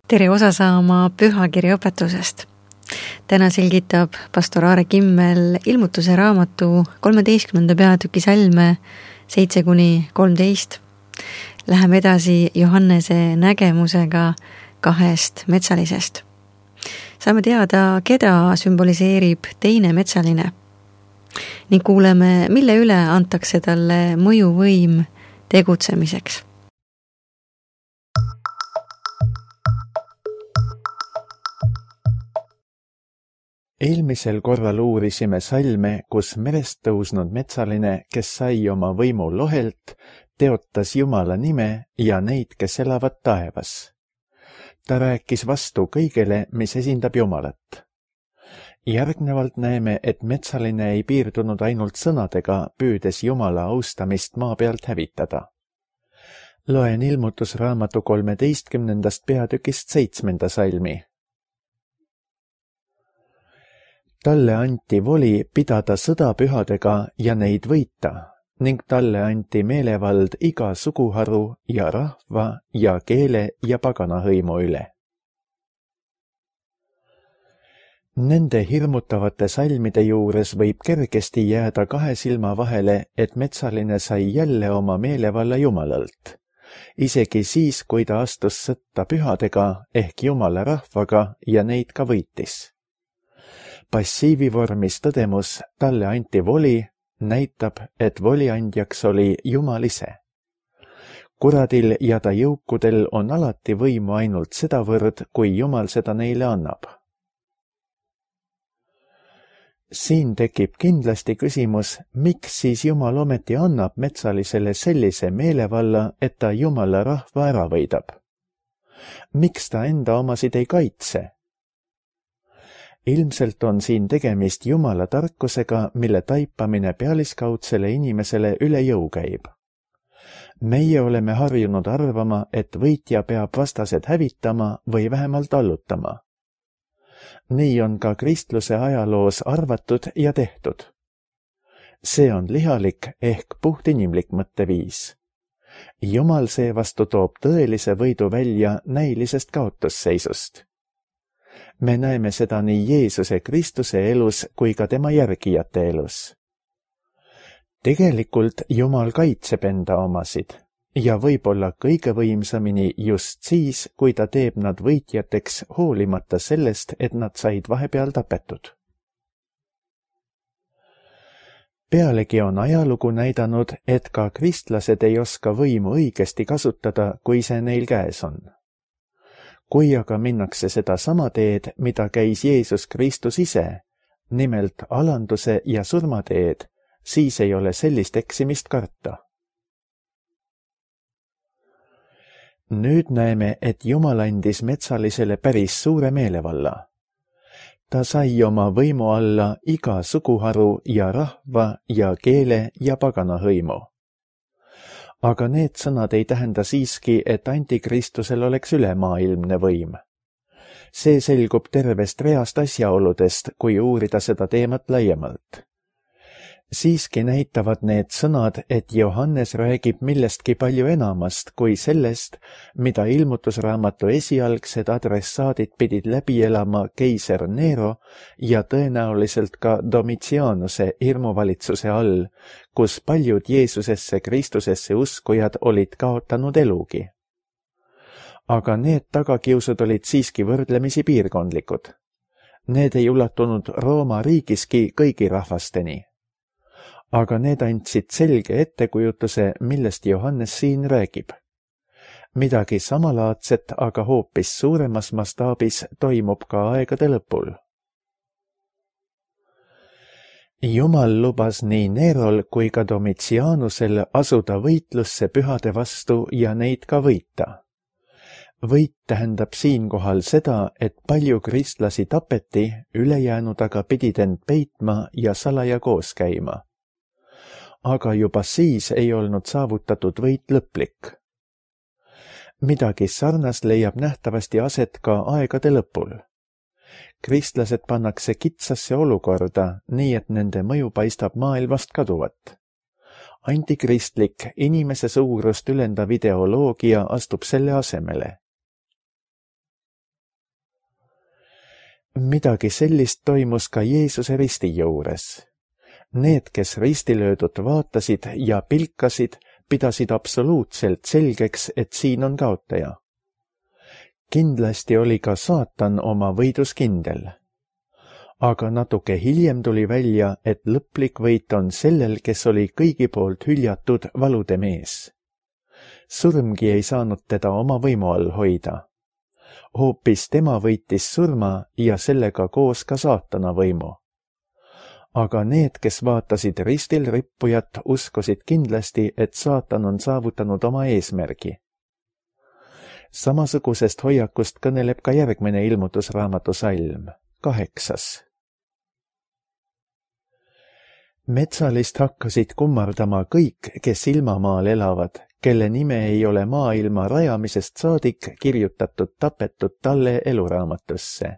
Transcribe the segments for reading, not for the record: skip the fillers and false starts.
Tere osa saama pühakirja õpetusest. Täna selgitab pastor Aare Kimmel ilmutuse raamatu 13. peatüki salme 7-13. Läheme edasi Johannese nägemusega 2 metsalisest. Saame teada, keda sümboliseerib teine metsaline ning kuuleme, mille üle antakse talle mõjuvõim tegutsemiseks. Eelmisel korral uurisime salme, kus merest tõusnud metsaline, kes sai oma võimu lohelt, teotas Jumala nime ja neid, kes elavad taevas. Ta rääkis vastu kõigele, mis esindab Jumalat. Järgnevalt näeme, et metsaline ei piirdunud ainult sõnadega, püüdes Jumala austamist maa pealt hävitada. Loen ilmutusraamatu 13. peatükist 7. salmi. Talle anti voli pidada sõda pühadega ja neid võita ning talle anti meelevald iga suguharu ja rahva ja keele ja paganahõimu üle. Nende hirmutavate salmide juures võib kergesti jääda 2 silma vahele, et metsaline sai jälle oma meelevalla Jumalalt, isegi siis, kui ta astus sõtta pühadega ehk Jumala rahvaga ja neid ka võitis. Passiivivormis tõdemus, talle anti voli, näitab, et voliandjaks oli Jumal ise. Kuradil ja ta jõukudel on alati võimu ainult sedavõrd, kui Jumal seda neile annab. Siin tekib kindlasti küsimus, miks siis Jumal ometi annab metsalisele sellise meelevalla, et ta Jumala rahva ära võidab? Miks ta enda omasid ei kaitse? Ilmselt on siin tegemist Jumala tarkusega, mille taipamine pealiskaudsele inimesele üle jõu käib. Meie oleme harjunud arvama, et võitja peab vastased hävitama või vähemalt allutama. Nii on ka kristluse ajaloos arvatud ja tehtud. See on lihalik ehk puhtinimlik mõtteviis. Jumal seevastu toob tõelise võidu välja näilisest kaotusseisust. Me näeme seda nii Jeesuse Kristuse elus kui ka tema järgijate elus. Tegelikult Jumal kaitseb enda omasid ja võib-olla kõige võimsamini just siis, kui ta teeb nad võitjateks hoolimata sellest, et nad said vahepeal tapetud. Pealegi on ajalugu näidanud, et ka kristlased ei oska võimu õigesti kasutada, kui see neil käes on. Kui aga minnakse seda sama teed, mida käis Jeesus Kristus ise, nimelt alanduse ja surmateed, siis ei ole sellist eksimist karta. Nüüd näeme, et Jumal andis metsalisele päris suure meelevalla. Ta sai oma võimu alla iga suguharu ja rahva ja keele ja paganahõimu. Aga need sõnad ei tähenda siiski, et antikristusel oleks ülemaailmne võim. See selgub tervest reast asjaoludest, kui uurida seda teemat laiemalt. Siiski näitavad need sõnad, et Johannes räägib millestki palju enamast kui sellest, mida ilmutusraamatu esialgsed adressaadid pidid läbi elama keiser Nero ja tõenäoliselt ka Domitianuse hirmuvalitsuse all, kus paljud Jeesusesse Kristusesse uskujad olid kaotanud elugi. Aga need tagakiusud olid siiski võrdlemisi piirkondlikud. Need ei ulatunud Rooma riigiski kõigi rahvasteni. Aga need andsid selge ettekujutuse, millest Johannes siin räägib. Midagi samalaadset, aga hoopis suuremas mastaabis toimub ka aegade lõpul. Jumal lubas nii Nerol kui ka Domitianusel asuda võitlusse pühade vastu ja neid ka võita. Võit tähendab siinkohal seda, et palju kristlasi tapeti, ülejäänud aga pidid end peitma ja salaja koos käima. Aga juba siis ei olnud saavutatud võit lõplik. Midagi sarnast leiab nähtavasti aset ka aegade lõpul. Kristlased pannakse kitsasse olukorda, nii et nende mõju paistab maailmast kaduvat. Antikristlik, inimese suurust ülendav ideoloogia astub selle asemele. Midagi sellist toimus ka Jeesuse risti juures. Need, kes ristilöödut vaatasid ja pilkasid, pidasid absoluutselt selgeks, et siin on kaotaja. Kindlasti oli ka saatan oma võidus kindel. Aga natuke hiljem tuli välja, et lõplik võit on sellel, kes oli kõigi poolt hüljatud valude mees. Surmgi ei saanud teda oma võimu all hoida. Hoopis tema võitis surma ja sellega koos ka saatana võimu. Aga need, kes vaatasid ristil rippujat, uskusid kindlasti, et saatan on saavutanud oma eesmärgi. Samasugusest hoiakust kõneleb ka järgmine ilmutusraamatu salm, 8. Metsalist hakkasid kummardama kõik, kes ilmamaal elavad, kelle nime ei ole maailma rajamisest saadik kirjutatud tapetud talle eluraamatusse.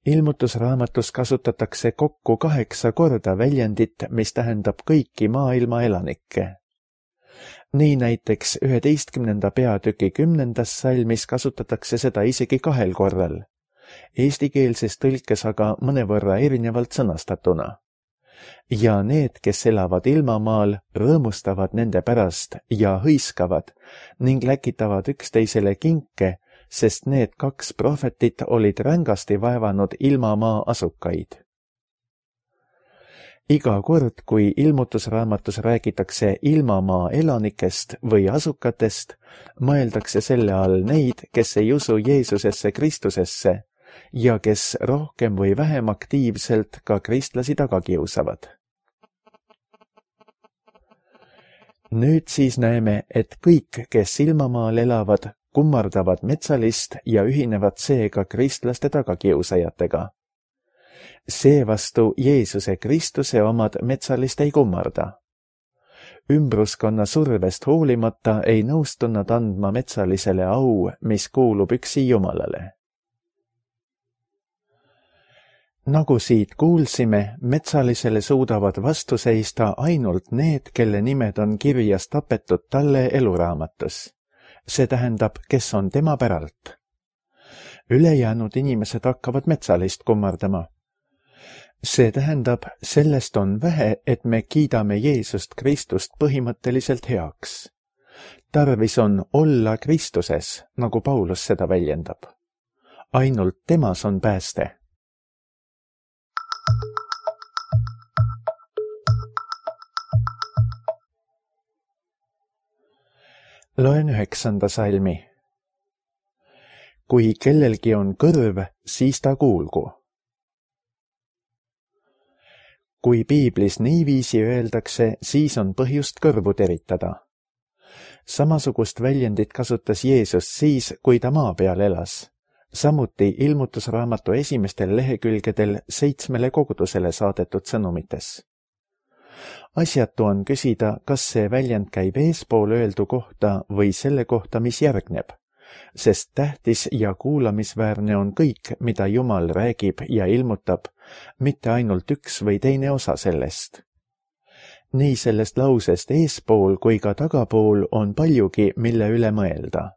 Ilmutusraamatus kasutatakse kokku 8 korda väljendit, mis tähendab kõiki maailma elanikke. Nii näiteks 11. peatüki 10. salmis kasutatakse seda isegi 2 korral, eestikeelses tõlkes aga mõnevõrra erinevalt sõnastatuna. Ja need, kes elavad ilmamaal, rõõmustavad nende pärast ja hõiskavad ning läkitavad üksteisele kinke, sest need 2 prohvetit olid rängasti vaevanud ilmamaa asukaid. Iga kord, kui ilmutusraamatus räägitakse ilmamaa elanikest või asukatest, mõeldakse selle all neid, kes ei usu Jeesusesse Kristusesse ja kes rohkem või vähem aktiivselt ka kristlasi taga kiusavad. Nüüd siis näeme, et kõik, kes ilmamaal elavad, kummardavad metsalist ja ühinevad seega kristlaste tagakiusajatega. Seevastu Jeesuse Kristuse omad metsalist ei kummarda. Ümbruskonna survest hoolimata ei nõustu nad andma metsalisele au, mis kuulub üksi Jumalale. Nagu siit kuulsime, metsalisele suudavad vastu seista ainult need, kelle nimed on kirjas tapetud talle eluraamatus. See tähendab, kes on tema päralt. Ülejäänud inimesed hakkavad metsalist kummardama. See tähendab, sellest on vähe, et me kiidame Jeesust Kristust põhimõtteliselt heaks. Tarvis on olla Kristuses, nagu Paulus seda väljendab. Ainult temas on pääste. Loen 9. salmi. Kui kellelgi on kõrv, siis ta kuulgu. Kui piiblis niiviisi öeldakse, siis on põhjust kõrvu teritada. Samasugust väljendit kasutas Jeesus siis, kui ta maa peal elas. Samuti ilmutusraamatu esimestel lehekülgedel 7 kogudusele saadetud sõnumites. Asjatu on küsida, kas see väljend käib eespool öeldu kohta või selle kohta, mis järgneb, sest tähtis ja kuulamisväärne on kõik, mida Jumal räägib ja ilmutab, mitte ainult üks või teine osa sellest. Nii sellest lausest eespool kui ka tagapool on paljugi, mille üle mõelda.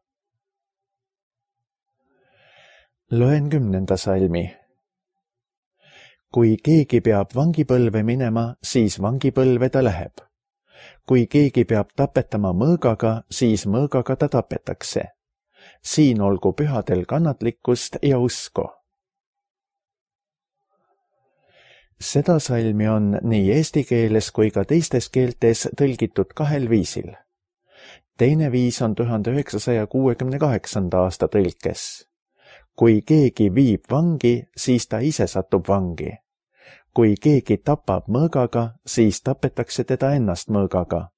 Loen 10. salmi. Kui keegi peab vangipõlve minema, siis vangipõlve ta läheb. Kui keegi peab tapetama mõõgaga, siis mõõgaga ta tapetakse. Siin olgu pühadel kannatlikkust ja usku. Seda salmi on nii eesti keeles kui ka teistes keeltes tõlgitud 2 viisil. Teine viis on 1968. aasta tõlkes. Kui keegi viib vangi, siis ta ise satub vangi. Kui keegi tapab mõõgaga, siis tapetakse teda ennast mõõgaga.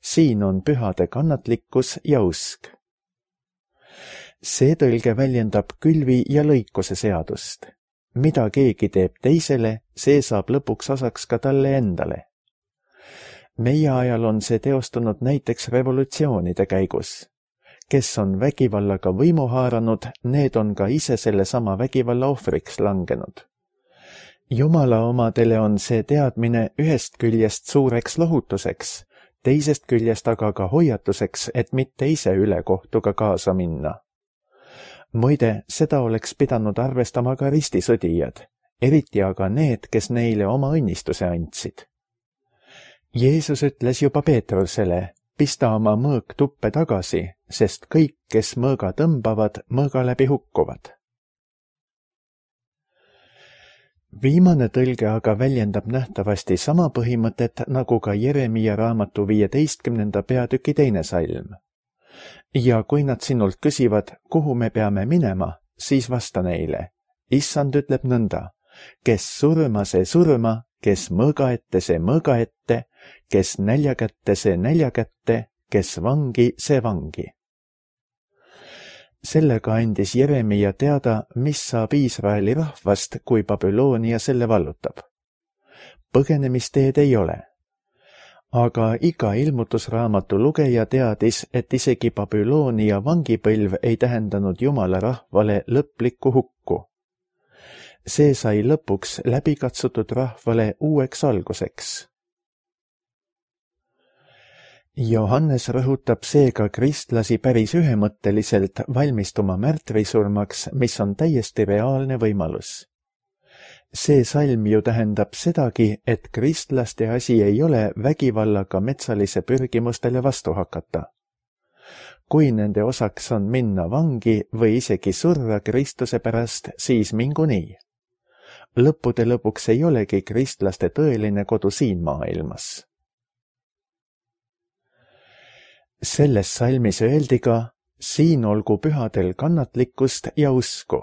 Siin on pühade kannatlikkus ja usk. See tõlge väljendab külvi ja lõikuse seadust. Mida keegi teeb teisele, see saab lõpuks osaks ka talle endale. Meie ajal on see teostunud näiteks revolutsioonide käigus. Kes on vägivallaga võimu haaranud, need on ka ise sellesama vägivalla ohvriks langenud. Jumala omadele on see teadmine ühest küljest suureks lohutuseks, teisest küljest aga ka hoiatuseks, et mitte ise ülekohtuga kaasa minna. Muide, seda oleks pidanud arvestama ka ristisõdijad, eriti aga need, kes neile oma õnnistuse andsid. Jeesus ütles juba Peetrusele, pista oma mõõk tuppe tagasi, sest kõik, kes mõõga tõmbavad, mõõga läbi hukkuvad. Viimane tõlge aga väljendab nähtavasti sama põhimõtet nagu ka Jeremia raamatu 15. peatüki 2. salm. Ja kui nad sinult küsivad, kuhu me peame minema, siis vasta neile. Issand ütleb nõnda, kes surma, see surma, kes mõõga ette, see mõõga ette, kes nälja kätte, see nälja kätte, kes vangi, see vangi. Sellega andis Jeremia teada, mis saab Iisraeli rahvast, kui Babyloonia selle vallutab. Põgenemisteed ei ole. Aga iga ilmutusraamatu lugeja teadis, et isegi Babyloonia vangipõlv ei tähendanud Jumala rahvale lõplikku hukku. See sai lõpuks läbikatsutud rahvale uueks alguseks. Johannes rõhutab seega kristlasi päris ühemõtteliselt valmistuma märtrisurmaks, mis on täiesti reaalne võimalus. See salm ju tähendab sedagi, et kristlaste asi ei ole vägivallaga metsalise pürgimustele vastu hakata. Kui nende osaks on minna vangi või isegi surra Kristuse pärast, siis mingu nii. Lõppude lõpuks ei olegi kristlaste tõeline kodu siin maailmas. Selles salmis öeldi ka, siin olgu pühadel kannatlikkust ja usku.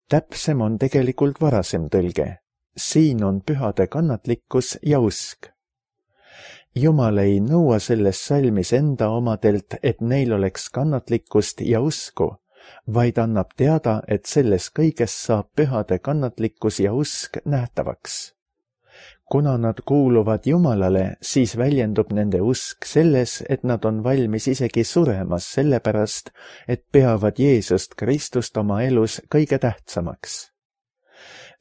Täpsem on tegelikult varasem tõlge. Siin on pühade kannatlikkus ja usk. Jumal ei nõua selles salmis enda omadelt, et neil oleks kannatlikkust ja usku, vaid annab teada, et selles kõiges saab pühade kannatlikkus ja usk nähtavaks. Kuna nad kuuluvad Jumalale, siis väljendub nende usk selles, et nad on valmis isegi suremas sellepärast, et peavad Jeesust Kristust oma elus kõige tähtsamaks.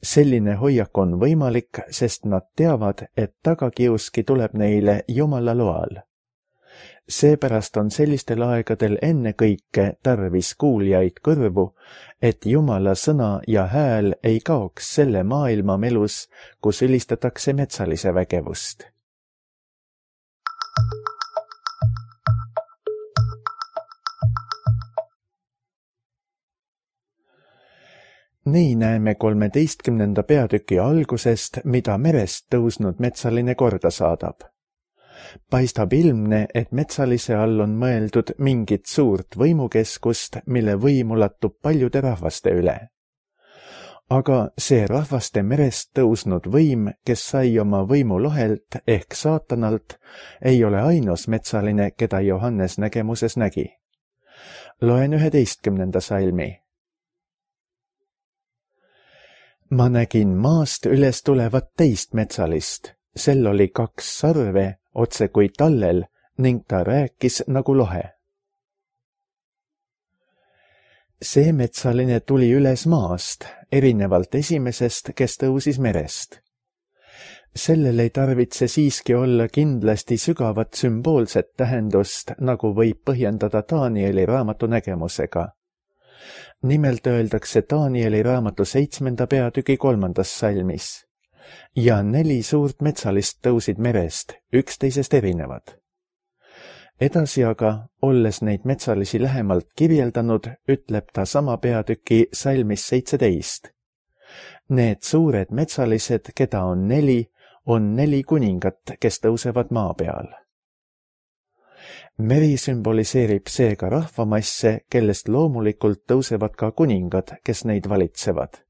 Selline hoiak on võimalik, sest nad teavad, et tagakiuski tuleb neile Jumala loal. Seepärast on sellistel aegadel ennekõike tarvis kuuljaid kõrvu, et Jumala sõna ja hääl ei kaoks selle maailma melus, kus ülistatakse metsalise vägevust. Nii näeme 13. peatüki algusest, mida merest tõusnud metsaline korda saadab. Paistab ilmne, et metsalise all on mõeldud mingit suurt võimukeskust, mille võim ulatub paljude rahvaste üle. Aga see rahvaste merest tõusnud võim, kes sai oma võimu lohelt ehk saatanalt, ei ole ainus metsaline, keda Johannes nägemuses nägi. Loen 11. salmi. Ma nägin maast üles tulevat teist metsalist, sel oli 2 sarve, otse kui tallel, ning ta rääkis nagu lohe. See metsaline tuli üles maast, erinevalt esimesest, kes tõusis merest. Sellel ei tarvitse siiski olla kindlasti sügavat sümboolset tähendust, nagu võib põhjendada Danieli raamatu nägemusega. Nimelt öeldakse Danieli raamatu 7. peatüki 3. salmis. Ja 4 suurt metsalist tõusid merest, üksteisest erinevad. Edasi aga, olles neid metsalisi lähemalt kirjeldanud, ütleb ta sama peatüki salmis 17. Need suured metsalised, keda on 4, on 4 kuningat, kes tõusevad maa peal. Meri sümboliseerib seega rahvamasse, kellest loomulikult tõusevad ka kuningad, kes neid valitsevad.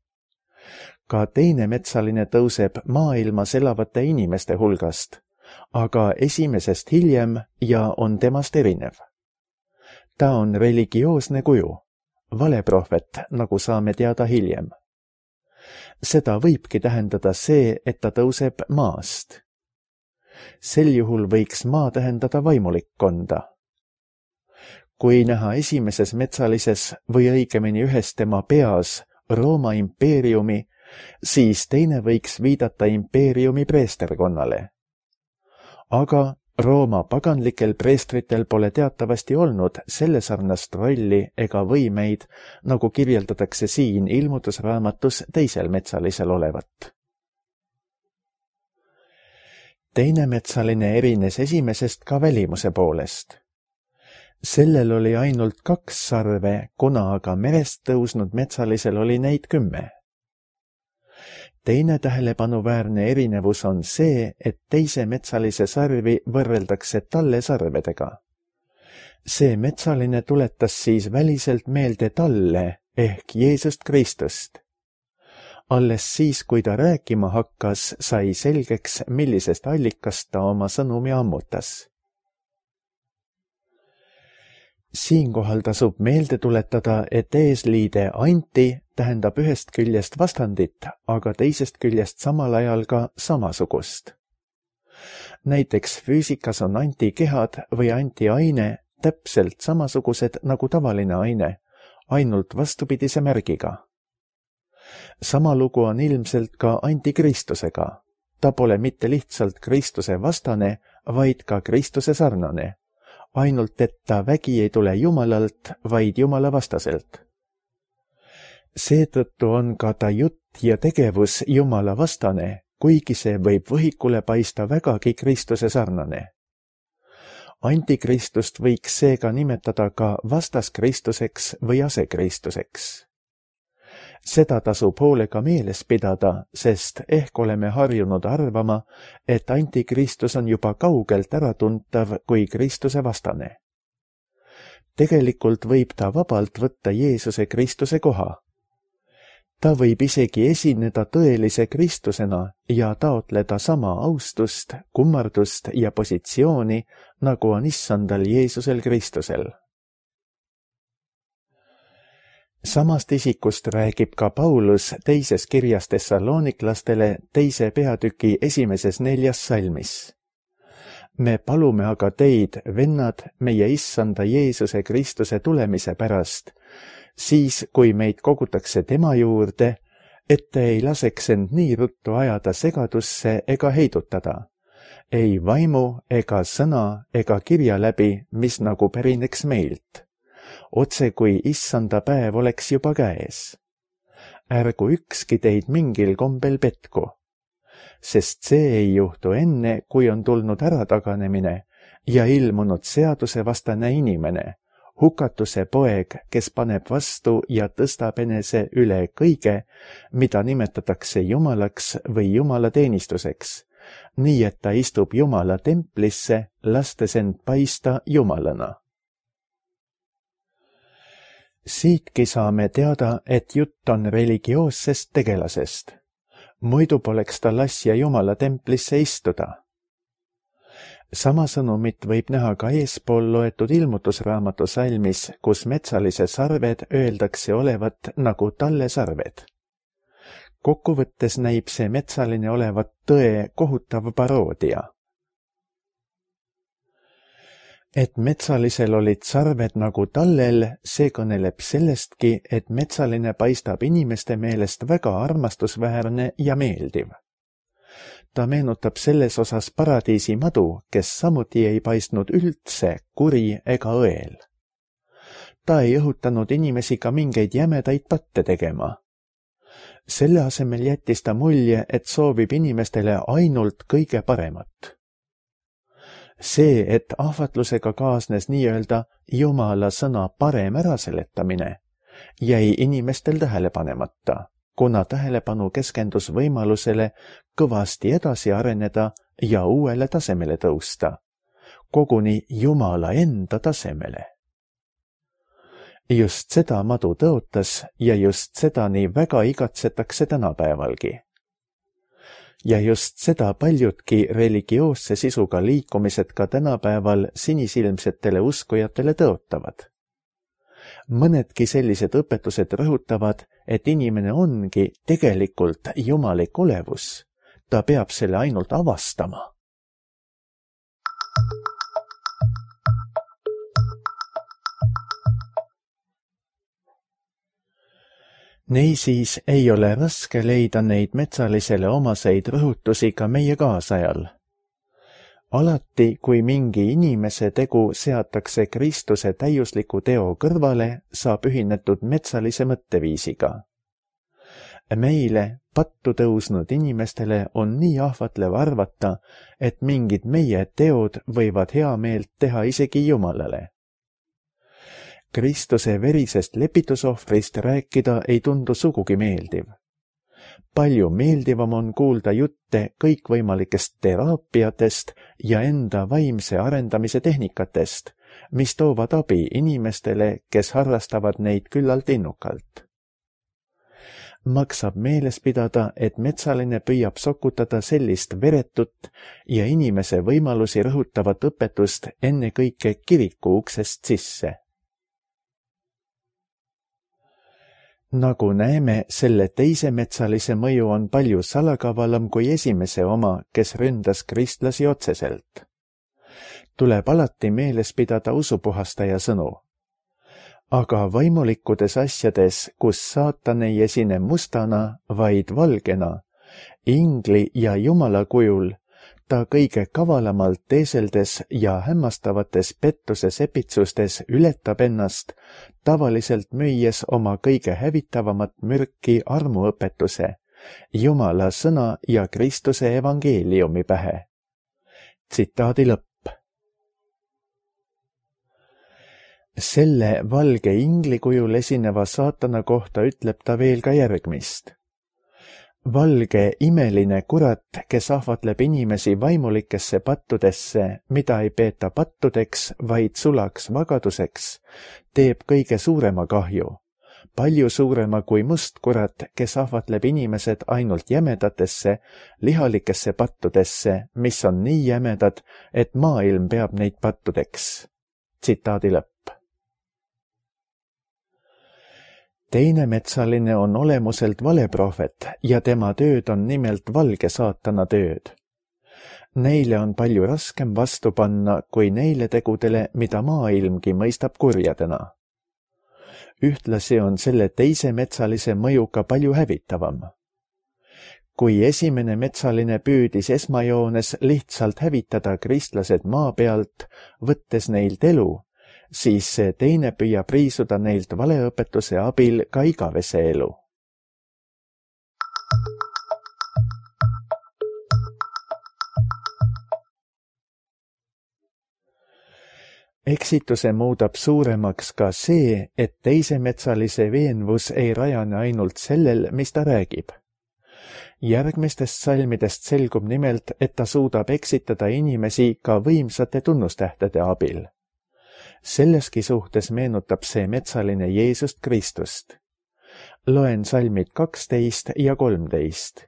Ka teine metsaline tõuseb maailmas elavate inimeste hulgast, aga esimesest hiljem ja on temast erinev. Ta on religioosne kuju, valeprohvet, nagu saame teada hiljem. Seda võibki tähendada see, et ta tõuseb maast. Sel juhul võiks maa tähendada vaimulikkonda. Kui näha esimeses metsalises või õigemini ühes tema peas Rooma impeeriumi, siis teine võiks viidata impeeriumi preesterkonnale. Aga Rooma paganlikel preestritel pole teatavasti olnud selle sarnast rolli ega võimeid, nagu kirjeldatakse siin ilmutusraamatus teisel metsalisel olevat. Teine metsaline erines esimesest ka välimuse poolest. Sellel oli ainult 2 sarve, kuna aga merest tõusnud metsalisel oli neid 10. Teine tähelepanuväärne erinevus on see, et teise metsalise sarvi võrreldakse talle sarvedega. See metsaline tuletas siis väliselt meelde talle ehk Jeesust Kristust. Alles siis, kui ta rääkima hakkas, sai selgeks, millisest allikast ta oma sõnumi ammutas. Siinkohal tasub meelde tuletada, et eesliide anti tähendab ühest küljest vastandit, aga teisest küljest samal ajal ka samasugust. Näiteks füüsikas on antikehad või antiaine täpselt samasugused nagu tavaline aine, ainult vastupidise märgiga. Sama lugu on ilmselt ka antikristusega. Ta pole mitte lihtsalt Kristuse vastane, vaid ka Kristuse sarnane. Ainult et ta vägi ei tule Jumalalt, vaid Jumala vastaselt. Seetõttu on ka ta jutt ja tegevus Jumala vastane, kuigi see võib võhikule paista vägagi Kristuse sarnane. Antikristust võiks seega nimetada ka vastaskristuseks või asekristuseks. Seda tasub hoolega meeles pidada, sest ehk oleme harjunud arvama, et antikristus on juba kaugelt äratuntav kui Kristuse vastane. Tegelikult võib ta vabalt võtta Jeesuse Kristuse koha. Ta võib isegi esineda tõelise Kristusena ja taotleda sama austust, kummardust ja positsiooni, nagu on issandal Jeesusel Kristusel. Samast isikust räägib ka Paulus teises kirjas Thessaloniklastele 2. peatüki 1. 4. salmis. Me palume aga teid, vennad, meie issanda Jeesuse Kristuse tulemise pärast, siis kui meid kogutakse tema juurde, et te ei laseks end nii ruttu ajada segadusse ega heidutada, ei vaimu ega sõna ega kirja läbi, mis nagu pärineks meilt. Otse kui issanda päev oleks juba käes. Ärgu ükski teid mingil kombel petku, sest see ei juhtu enne, kui on tulnud ärataganemine ja ilmunud seadusevastane inimene, hukatuse poeg, kes paneb vastu ja tõstab enese üle kõige, mida nimetatakse Jumalaks või Jumala teenistuseks, nii et ta istub Jumala templisse, lastes end paista Jumalana. Siitki saame teada, et jutt on religioossest tegelasest. Muidu poleks ta lassja Jumala templisse istuda. Sama sõnumit võib näha ka eespool loetud ilmutusraamatu salmis, kus metsalise sarved öeldakse olevat nagu talle sarved. Kokkuvõttes näib see metsaline olevat tõe kohutav paroodia. Et metsalisel olid sarved nagu tallel, see kõneleb sellestki, et metsaline paistab inimeste meelest väga armastusväärne ja meeldiv. Ta meenutab selles osas paradiisi madu, kes samuti ei paistnud üldse kuri ega õel. Ta ei õhutanud inimesi ka mingeid jämedaid patte tegema. Selle asemel jättis ta mulje, et soovib inimestele ainult kõige paremat. See, et ahvatlusega kaasnes nii-öelda Jumala sõna parem äraseletamine, jäi inimestel tähele panemata, kuna tähelepanu keskendus võimalusele kõvasti edasi areneda ja uuele tasemele tõusta, koguni Jumala enda tasemele. Just seda madu tõotas ja just seda nii väga igatsetakse tänapäevalgi. Ja just seda paljudki religioosse sisuga liikumised ka tänapäeval sinisilmsetele uskujatele tõotavad. Mõnedki sellised õpetused rõhutavad, et inimene ongi tegelikult jumalik olevus. Ta peab selle ainult avastama. Niisiis ei ole raske leida neid metsalisele omaseid rõhutusi ka meie kaasajal. Alati, kui mingi inimese tegu seatakse Kristuse täiusliku teo kõrvale, saab ühinetud metsalise mõtteviisiga. Meile, pattu tõusnud inimestele on nii ahvatlev arvata, et mingid meie teod võivad hea meelt teha isegi Jumalale. Kristuse verisest lepitusohvrist rääkida ei tundu sugugi meeldiv. Palju meeldivam on kuulda jutte kõikvõimalikest teraapiatest ja enda vaimse arendamise tehnikatest, mis toovad abi inimestele, kes harrastavad neid küllalt innukalt. Maksab meeles pidada, et metsaline püüab sokutada sellist veretut ja inimese võimalusi rõhutavat õpetust ennekõike kiriku uksest sisse. Nagu näeme, selle teise metsalise mõju on palju salakavalam kui esimese oma, kes ründas kristlasi otseselt. Tuleb alati meeles pidada usupuhastaja sõnu. Aga vaimulikkudes asjades, kus saatan ei esine mustana, vaid valgena, ingli ja Jumala kujul, ta kõige kavalamalt teeseldes ja hämmastavates pettuse sepitsustes ületab ennast, tavaliselt müües oma kõige hävitavamat mürki armuõpetuse, Jumala sõna ja Kristuse evangeeliumi pähe. Tsitaadi lõpp. Selle valge ingli kujul esineva saatana kohta ütleb ta veel ka järgmist. Valge imeline kurat, kes ahvatleb inimesi vaimulikesse pattudesse, mida ei peeta pattudeks, vaid sulaks vagaduseks, teeb kõige suurema kahju. Palju suurema kui must kurat, kes ahvatleb inimesed ainult jämedatesse, lihalikesse pattudesse, mis on nii jämedad, et maailm peab neid pattudeks. Tsitaadi lõpp. Teine metsaline on olemuselt valeprohvet ja tema tööd on nimelt valge saatana tööd. Neile on palju raskem vastu panna kui neile tegudele, mida maailmgi mõistab kurjadena. Ühtlasi on selle teise metsalise mõju ka palju hävitavam. Kui esimene metsaline püüdis esmajoones lihtsalt hävitada kristlased maa pealt, võttes neilt elu, siis see teine püüab riisuda neilt valeõpetuse abil ka igavese elu. Eksituse muudab suuremaks ka see, et teise metsalise veenvus ei rajane ainult sellel, mis ta räägib. Järgmistest salmidest selgub nimelt, et ta suudab eksitada inimesi ka võimsate tunnustähtede abil. Selleski suhtes meenutab see metsaline Jeesust Kristust. Loen salmid 12 ja 13.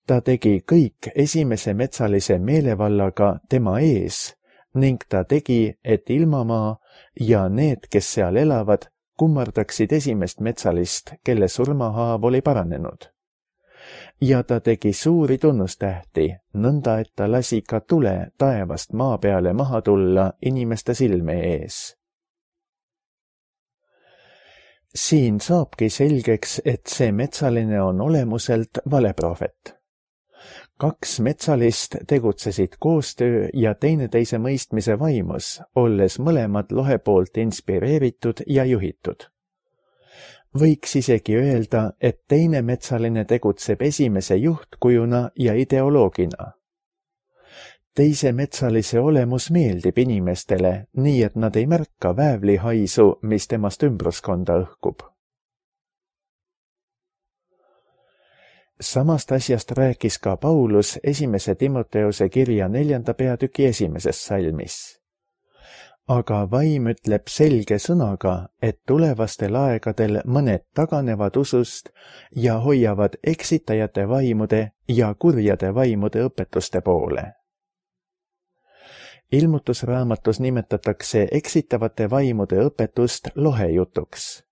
Ta tegi kõik esimese metsalise meelevallaga tema ees ning ta tegi, et ilmamaa ja need, kes seal elavad, kummardaksid esimest metsalist, kelle surmahaav oli paranenud. Ja ta tegi suuri tunnustähti, nõnda et ta lasi ka tule taevast maa peale maha tulla inimeste silme ees. Siin saabki selgeks, et see metsaline on olemuselt valeprohvet. 2 metsalist tegutsesid koostöö ja teineteise mõistmise vaimus, olles mõlemad lohe poolt inspireeritud ja juhitud. Võiks isegi öelda, et teine metsaline tegutseb esimese juhtkujuna ja ideoloogina. Teise metsalise olemus meeldib inimestele, nii et nad ei märka väävlihaisu, mis temast ümbruskonda õhkub. Samast asjast rääkis ka Paulus esimese Timoteuse kirja 4. peatüki 1. salmis. Aga vaim ütleb selge sõnaga, et tulevastel aegadel mõned taganevad usust ja hoiavad eksitajate vaimude ja kurjade vaimude õpetuste poole. Ilmutusraamatus nimetatakse eksitavate vaimude õpetust lohejutuks.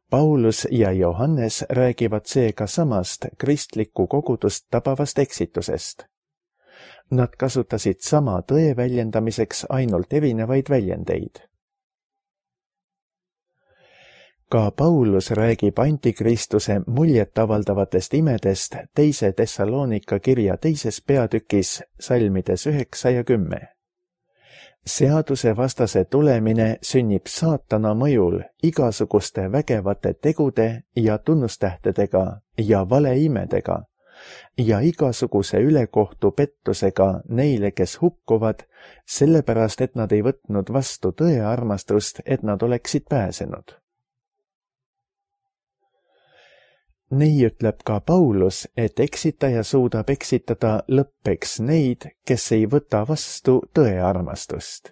Paulus ja Johannes räägivad seega samast kristlikku kogudust tabavast eksitusest. Nad kasutasid sama tõe väljendamiseks ainult erinevaid väljendeid. Ka Paulus räägib antikristuse muljetavaldavatest imedest teise Thessalonika kirja 2. peatükis salmides 9 ja 10. Seaduse vastase tulemine sünnib saatana mõjul igasuguste vägevate tegude ja tunnustähtedega ja valeimedega ja igasuguse ülekohtu pettusega neile, kes hukkuvad, sellepärast, et nad ei võtnud vastu tõe armastust, et nad oleksid pääsenud. Nii ütleb ka Paulus, et eksitaja suudab eksitada lõppeks neid, kes ei võta vastu tõe armastust.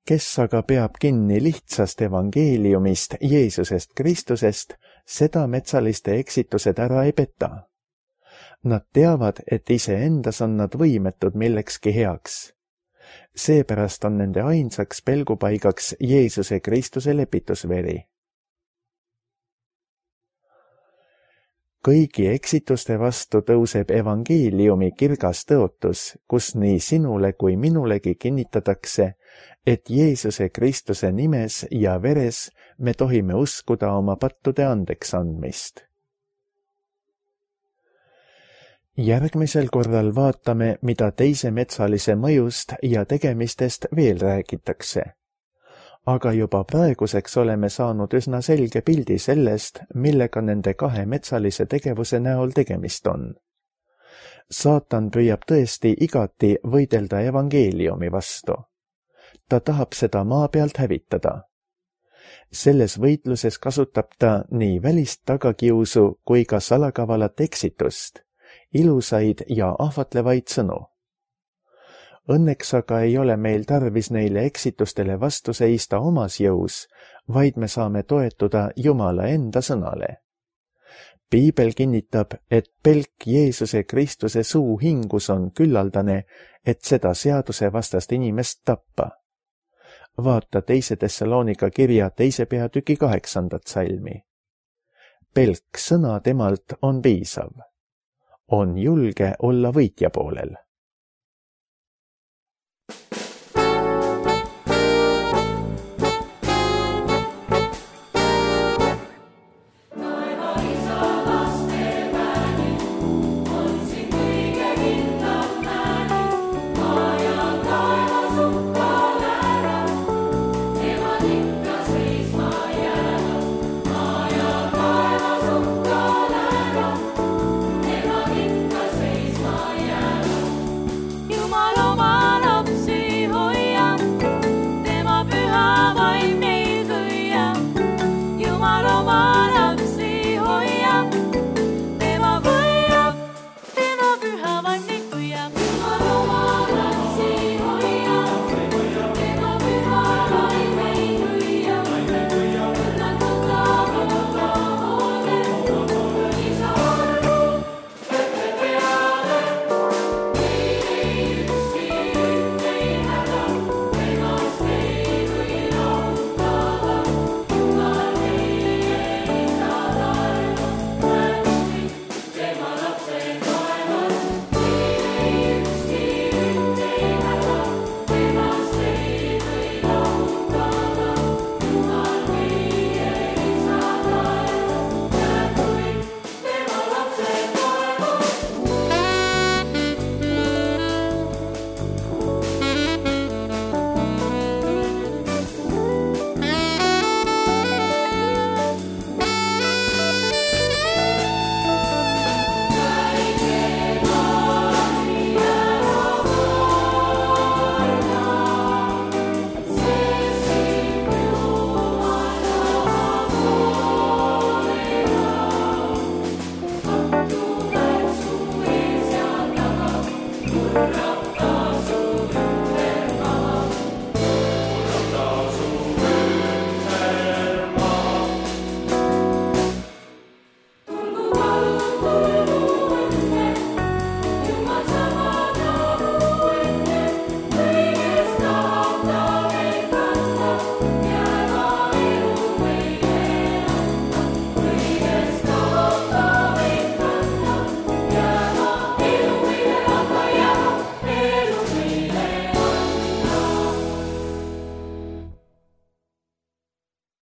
Kes aga peab kinni lihtsast evangeeliumist Jeesusest Kristusest, seda metsaliste eksitused ära ei peta. Nad teavad, et iseendas on nad võimetud millekski heaks. Seepärast on nende ainsaks pelgupaigaks Jeesuse Kristuse lepitusveri. Kõigi eksituste vastu tõuseb evangeeliumi kirgas tõotus, kus nii sinule kui minulegi kinnitatakse, et Jeesuse Kristuse nimes ja veres me tohime uskuda oma pattude andeks andmist. Järgmisel korral vaatame, mida teise metsalise mõjust ja tegemistest veel räägitakse. Aga juba praeguseks oleme saanud üsna selge pildi sellest, millega nende kahe metsalise tegevuse näol tegemist on. Saatan püüab tõesti igati võidelda evangeeliumi vastu. Ta tahab seda maa pealt hävitada. Selles võitluses kasutab ta nii välist tagakiusu kui ka salakavalat eksitust, ilusaid ja ahvatlevaid sõnu. Õnneks aga ei ole meil tarvis neile eksitustele vastu seista omas jõus, vaid me saame toetuda Jumala enda sõnale. Piibel kinnitab, et pelk Jeesuse Kristuse suu hingus on küllaldane, et seda seaduse vastast inimest tappa. Vaata 2. Thessalonika kirja 2. peatüki 8. salmi. Pelk sõna temalt on piisav. On julge olla võitja poolel.